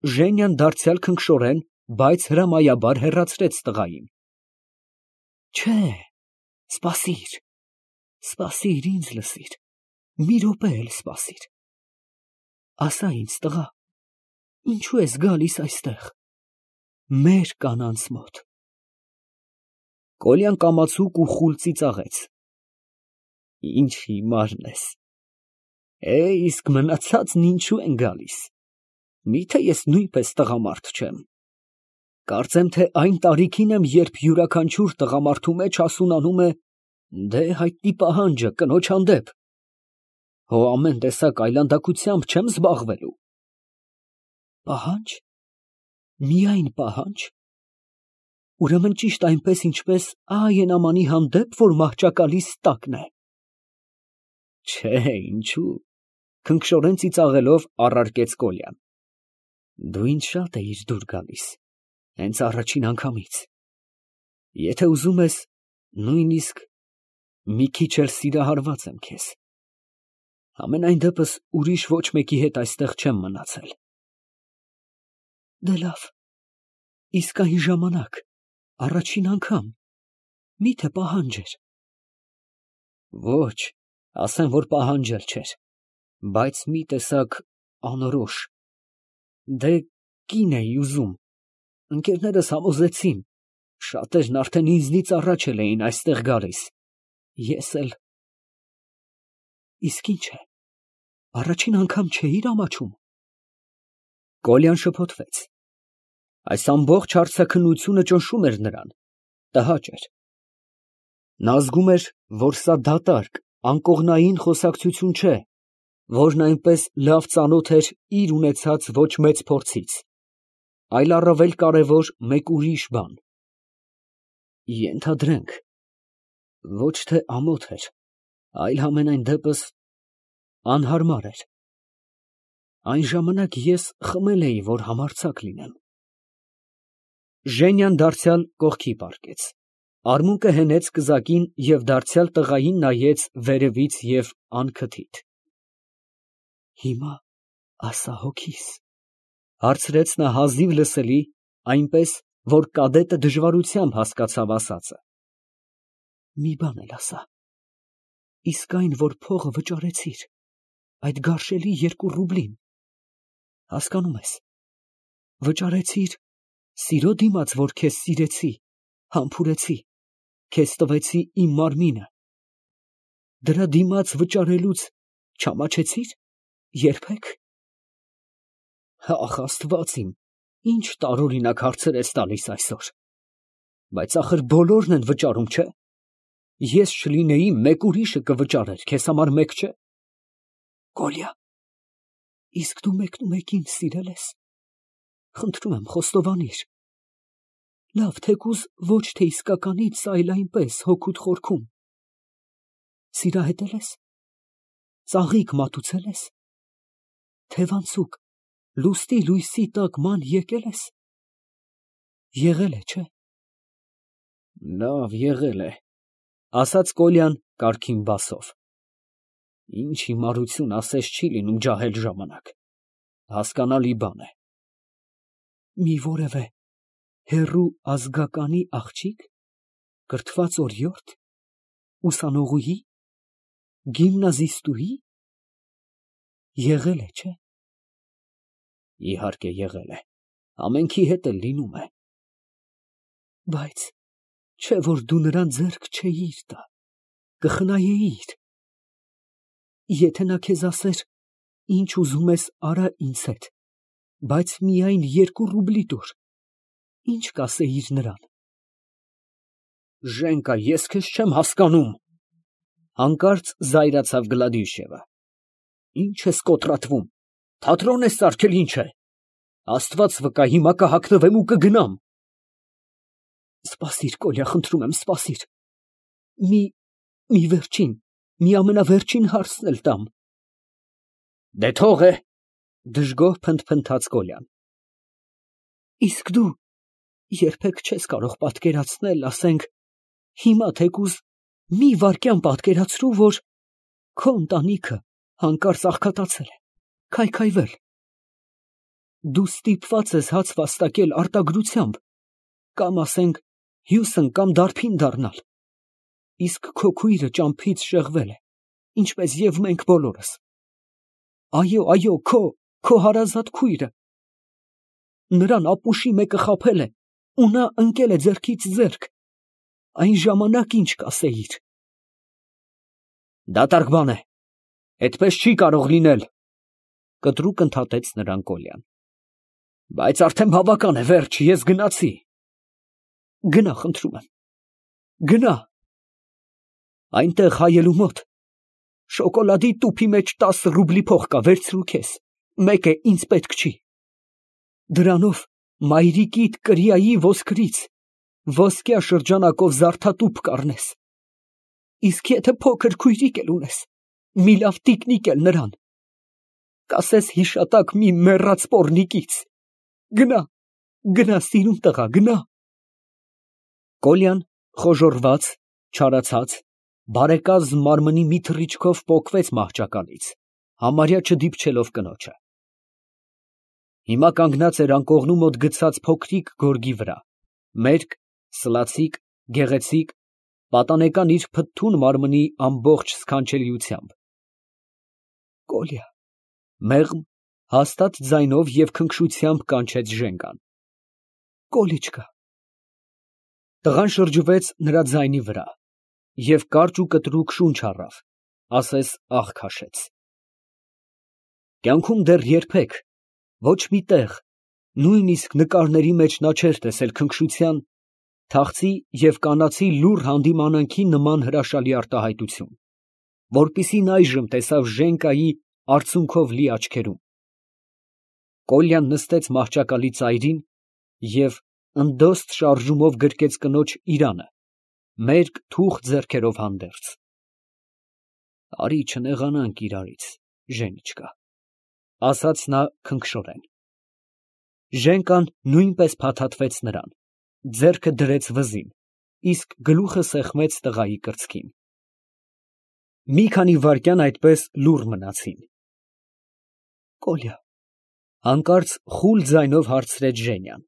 Ժենյան դարձյալ քնքշորեն, բայց հրամայաբար հեռացրեց տղային։ Չէ, սպասիր, սպասիր, ինձ լսիր, մի րոպե էլ սպասիր, ասա ինձ, տղա, ինչու ես գալիս այստեղ, մեր կանանց մոտ։ Կոլյան կամացուկ ու խուլ ծիծաղեց։ Ինչ հիմարն ես, իսկ մնացածն ինչու են գալիս, միթե ես նույնպես տղամարդ չեմ, կարծեմ, թե այն տարիքին եմ, երբ յուրաքանչյուր տղամարդու մեջ հասունանում է դե հայտնի պահանջը կնոջ հանդեպ, հո ամեն տեսակ այլանդակությամբ չեմ զբաղվելու։ Պահանջ, միայն պահանջ, ուրեմն ճիշտ այնպես, ինչպես Այենամանի հանդեպ, որ մահճակալիս տակն է։ Չէ, ինչու, քնքշորեն ծիծաղելով առարկեց Կոլյան։ Դու ինձ շատ էիր դուր գալիս, հենց առաջին անգամից։ Եթե ուզում ես, նույնիսկ մի քիչ էլ սիրահարված եմ քեզ։ Համենայն դեպս ուրիշ ոչ մեկի հետ այստեղ չեմ մնացել։ Դե լավ, իսկ այն ժամանակ, առաջին անգամ, միթե պահանջ էր։ Ոչ, ասեմ, որ պահանջ էլ չէր, բայց մի տեսակ անորոշ, դե կին էի ուզում, ընկերներս համոզեցին, շատերն արդեն ինձնից առաջ էլ էին այստեղ գալիս, ես էլ… Իսկ ինչ է, առաջին անգամ չէիր ամաչում։ Կոլյան շփոթվեց, այս ամբողջ հարցաքննությունը ճնշում էր նրան, տհաճ էր։ Նա զգում էր, որ սա դատարկ, անկողնային խոսակցություն չէ, որն այնպես լավ ծանոթ էր իր ունեցած ոչ մեծ փորձից, այլ առավել կարևոր մեկ ուրիշ բան։ Ենթադրենք, ոչ թե ամոթ էր, այլ համենայն դեպս անհարմար էր։ Այն ժամանակ ես խմել էի, որ համարձակ լինեմ։ Ժենյան դարձյալ կողքի պառկեց, արմունկը հենեց կզակին և դարձյալ տղային նայեց վերևից և անքթիթ։ Հիմա ասա հոգիս, հարցրեց նա հազիվ լսելի, այնպես, որ կադետը դժվարությամբ հասկացավ ասածը։ Մի բան էլ ասա, իսկ այն, որ փողը վճարեցիր, այդ գարշելի 2 ռուբլին, հասկանում ես, վճարեցիր սիրո դիմաց, որ քեզ սիրեցի, համբուրեցի, քեզ տվեցի իմ մարմինը, դրա դիմաց վճարելուց չամաչեցիր երբեք։ Ախ, Աստված իմ, ինչ տարօրինակ հարցեր ես տալիս այսօր, բայց ախր բոլորն են վճարում, չէ։ Ես չլինեի, մեկ ուրիշը կվճարեր, քեզ համար մեկ չէ։ Կոլյա, իսկ դու մեկնումեկին սիրել ես։ Խնդրում եմ, խոստովանիր։ Լավ, թեկուզ ոչ թե իսկականից, այլ այնպես հոգուդ խորքում։ Սիրահետել ես։ Ծաղիկ մատուցել ես։ Թևանցուկ, լուստի լույսի տակ ման եկել ես։ Եղել է, չէ։ Լավ, եղել է, ասաց Կոլյան կարգին բասով։ Ինչ հիմարություն ասես չի լինում ջահել ժամանակ, հասկանալի բան է։ Մի որևէ հեռու ազգականի աղջիկ, կրթված օրիորդ, ուսանողուհի, գիմնազիստուհի, եղել է, չէ։ Իհարկե եղել է, ամենքի հետ էլ լինում է։ Բայց չէ որ դու նրան ձեռք չէիր տա, կխնայեիր։ Եթե նա քեզ ասեր, ինչ ուզում ես արա ինձ հետ, բայց միայն 2 ռուբլի տուր, ինչ կասեիր նրան։ Ժենկա, ես քեզ չեմ հասկանում, հանկարծ զայրացավ Գլադիշևը։ Ինչ ես կոտրատվում, թատրոն ես սարքել, ինչ է։ Աստված վկա, հիմա կհագնվեմ ու կգնամ։ Սպասիր, Կոլյա, խնդրում եմ, սպասիր։ Մի վերջին, մի ամենավերջին հարցն էլ տամ։ Դե թող է, դժգոհ փնթփնթաց Կոլյան։ Իսկ դու երբեք չես կարող պատկերացնել, ասենք, հիմա թեկուզ մի վայրկյան պատկերացրու, որ քո ընտանիքը հանկարծ աղքատացել է, քայքայվել, Դու ստիպված ես հաց վաստակել արտագրությամբ, կամ ասենք հյուսն կամ դարբին դառնալ, իսկ քո քույրը ճամփից շեղվել է, ինչպես և մենք բոլորս։ Այո, քո հարազատ քույրը։ Նրան ապուշի մեկը խաբել է, ու նա ընկել է ձեռքից ձեռք։ Այն ժամանակ ինչ կասեիր։ Դատարկ բան է, այդպես չի կարող լինել, կտրուկ ընդհատեց նրան Կոլյան։ Բայց արդեն բավական է, վերջ, ես գնացի։ Գնա, խնդրում եմ, գնա։ Այնտեղ հայելու մոտ շոկոլադի տուփի մեջ 10 ռուբլի փող կա, վերցրու քեզ, մեկ է ինձ պետք չի։ Դրանով մայրիկիդ կրիայի ոսկրից ոսկյա շրջանակով զարդատուփ կառնես։ Իսկ եթե փոքր քույրիկ էլ ունես, մի լավ տիկնիկ էլ նրան, կասես հիշատակ մի մեռած պոռնիկից։ Գնա, սիրուն տղա, գնա։ Կոլյան խոժոռված, չարացած, բարեկազմ մարմնի մի թռիչքով պոկվեց մահճակալից, համարյա չդիպչելով կնոջը։ Հիմա կանգնած էր անկողնու մոտ գցած փոքրիկ գորգի վրա, մերկ, սլացիկ, գեղեցիկ, պատանեկան իր փթթուն մարմնի ամբողջ սքանչելիությամբ։ Կոլյա, մեղմ, հաստատ ձայնով և քնքշությամբ կանչեց Ժենկան։ Կոլիչկա։ Տղան շրջվեց նրա ձայնի վրա և կարճ ու կտրուկ շունչ առավ, ասես աղ քաշեց։ Կյանքում դեռ երբեք, ոչ մի տեղ, նույնիսկ նկարների մեջ նա չէր տեսել քնքշության, թախծի և կանացի լուռ հանդիմանանքի նման հրաշալի արտահայտություն, որպիսին այժմ տեսավ Ժենկայի արցունքով լի աչքերում։ Կոլյան նստեց մահճակալի ծայրին և ընդոստ շարժումով գրկեց կնոջ իրանը, մերկ թուխ ձեռքերով հանդերձ։ Արի չնեղանանք իրարից, Ժենիչկա, ասաց նա քնքշորեն։ Ժենկան նույնպես փաթաթվեց նրան, ձեռքը դրեց վզին, իսկ գլուխը սեղմեց տղայի կրծքին։ Մի քանի վայրկյան այդպես լուռ մնացին։ Կոլյա, հանկարծ խուլ ձայնով հարցրեց Ժենյան,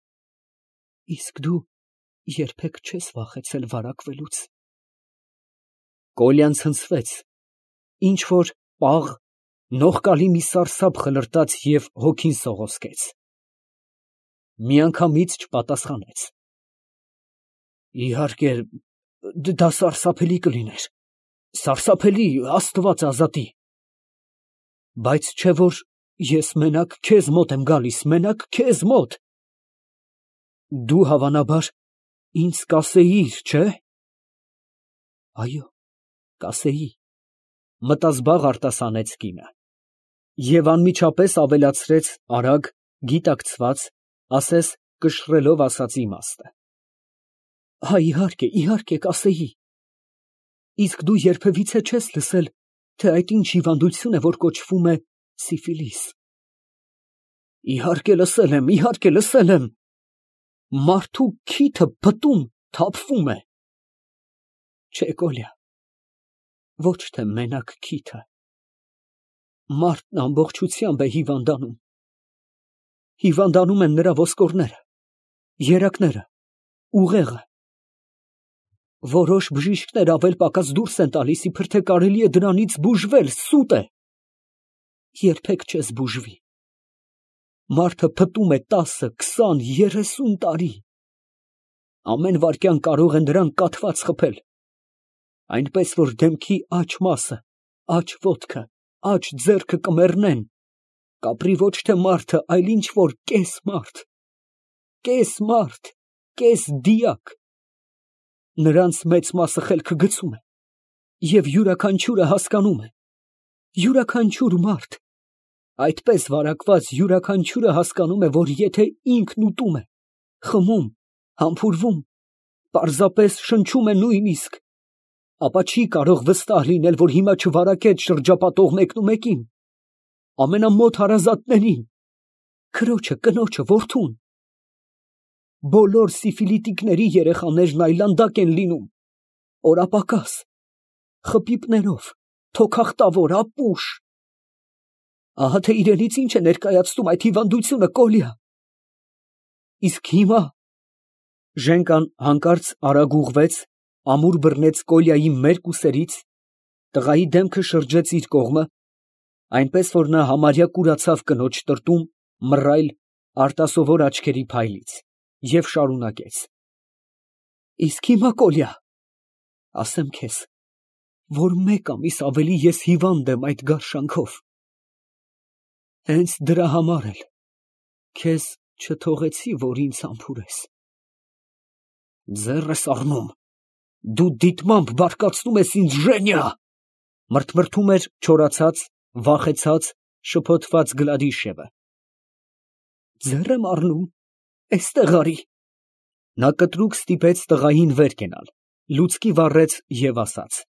իսկ դու երբեք չես վախեցել վարակվելուց։ Կոլյան ցնցվեց, ինչ որ պաղ, նողկալի մի սարսափ խլրտաց և հոգին սողոսկեց։ Միանգամից չպատասխանեց։ Իհարկե, դա սարսափելի կլիներ, սարսափելի, Աստված ազատի։ Բայց չէ որ ես մենակ քեզ մոտ եմ գալիս, մենակ քեզ մոտ։ Դու հավանաբար ինձ կասեիր, չէ՞։ Այո, կասեի, մտազբաղ արտասանեց կինը և անմիջապես ավելացրեց արագ, գիտակցված, ասես կշռելով ասածի իմաստը։ Իհարկե, կասեի։ Իսկ դու երբևիցե չես լսել, թե այդ ինչ հիվանդություն է, որ կոչվում է սիֆիլիս։ Իհարկե լսել եմ։ Մարդու քիթը փտում, թափվում է։ Չէ, Կոլյա, ոչ թե մենակ քիթը։ Մարդն ամբողջությամբ է հիվանդանում։ Հիվանդանում են նրա ոսկորները, երակները, ուղեղը։ Որոշ բժիշկներ ավել֊պակաս դուրս են տալիս, իբր թե կարելի է դրանից բուժվել, սուտ է։ Երբեք չես բուժվի։ Մարդը փտում է 10, 20, 30 տարի։ Ամեն վայրկյան կարող է նրան կաթված խփել, այնպես որ դեմքի աջ մասը, աջ ոտքը, աջ ձեռքը կմեռնեն, կապրի ոչ թե մարդը, այլ ինչ որ կես մարդ, կես դիակ։ Նրանց մեծ մասը խելքը գցում է և յուրաքանչյուրը հասկանում է, յուրաքանչյուր մարդ, այդպես վարակված յուրաքանչյուրը հասկանում է, որ եթե ինքն ուտում է, խմում, համբուրվում, պարզապես շնչում է նույնիսկ, ապա չի կարող վստահ լինել, որ հիմա չվարակեց շրջապատող մեկնումեկին, ամենամոտ հարազատներին, քրոջը, կնոջը, որդուն։ Բոլոր սիֆիլիտիկների երեխաներն այլանդակ են լինում, օրապակաս, խփիպներով, թոքախտավոր, ապուշ։ Ահա թե իրենից ինչ է ներկայացնում այդ հիվանդությունը, Կոլյա։ Իսկ հիմա… Ժենկան հանկարծ արագ ուղղվեց, ամուր բռնեց Կոլյայի մերկ ուսերից, տղայի դեմքը շրջեց իր կողմը, այնպես որ նա համարյա կուրացավ կնոջ տրտում, մռայլ, արտասովոր աչքերի փայլից, և շարունակեց. Իսկ հիմա, Կոլյա, ասեմ քեզ, որ մեկ ամիս ավելի ես հիվանդ եմ այդ գարշանքով. հենց դրա համար էլ քեզ չթողեցի, որ ինձ համբուրես։ Ձեռ ես առնում, դու դիտմամբ բարկացնում ես ինձ, Ժենյա, մրթմրթում էր չորացած, վախեցած, շփոթված Գլադիշևը։ Ձեռ եմ առնում, էստեղ արի։ Նա կտրուկ ստիպեց տղային վեր կենալ, լուցկի վառեց և ասաց.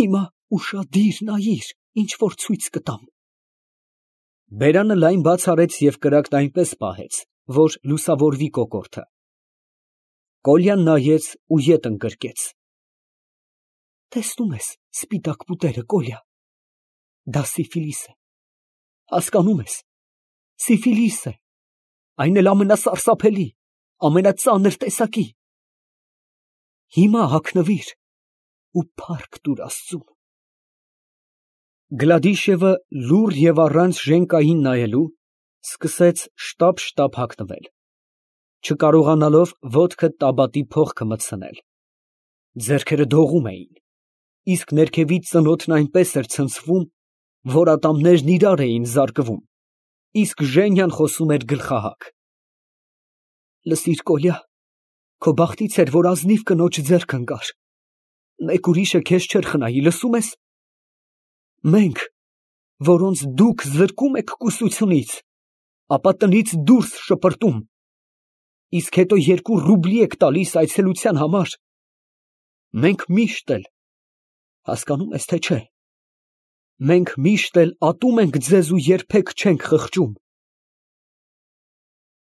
Հիմա ուշադիր նայիր, ինչ որ ցույց կտամ։ Բերանը լայն բաց արեց և կրակն այնպես պահեց, որ լուսավորվի կոկորդը։ Կոլյան նայեց ու ետ ընկրկեց. Տեսնում ես սպիտակ պուտերը, Կոլյա, դա սիֆիլիս է, հասկանում ես, սիֆիլիս է, այն էլ ամենասարսափելի, ամենածանր տեսակի։ Հիմա հագնվիր ու փառք տուր Աստծուն։ Գլադիշևը լուռ և առանց Ժենկային նայելու սկսեց շտապ հագնվել, չկարողանալով ոտքը տաբատի փողքը մտցնել։ Ձեռքերը դողում էին, իսկ ներքևից ծնոտն այնպես էր ցնցվում, որ ատամներն իրար էին զարկվում, իսկ Ժենյան խոսում էր գլխահագ. Լսիր, Կոլյա, քո բախտից էր, որ ազնիվ կնոջ ձեռք ընկար, մեկ ուրիշը քեզ չէր խնայի, լսում ես։ Մենք, որոնց դուք զրկում եք կուսությունից, ապա տնից դուրս շպրտում, իսկ հետո 2 ռուբլի եք տալիս այցելության համար, մենք միշտ էլ, հասկանում ես, թե չէ, մենք միշտ էլ ատում ենք ձեզ ու երբեք չենք խղճում։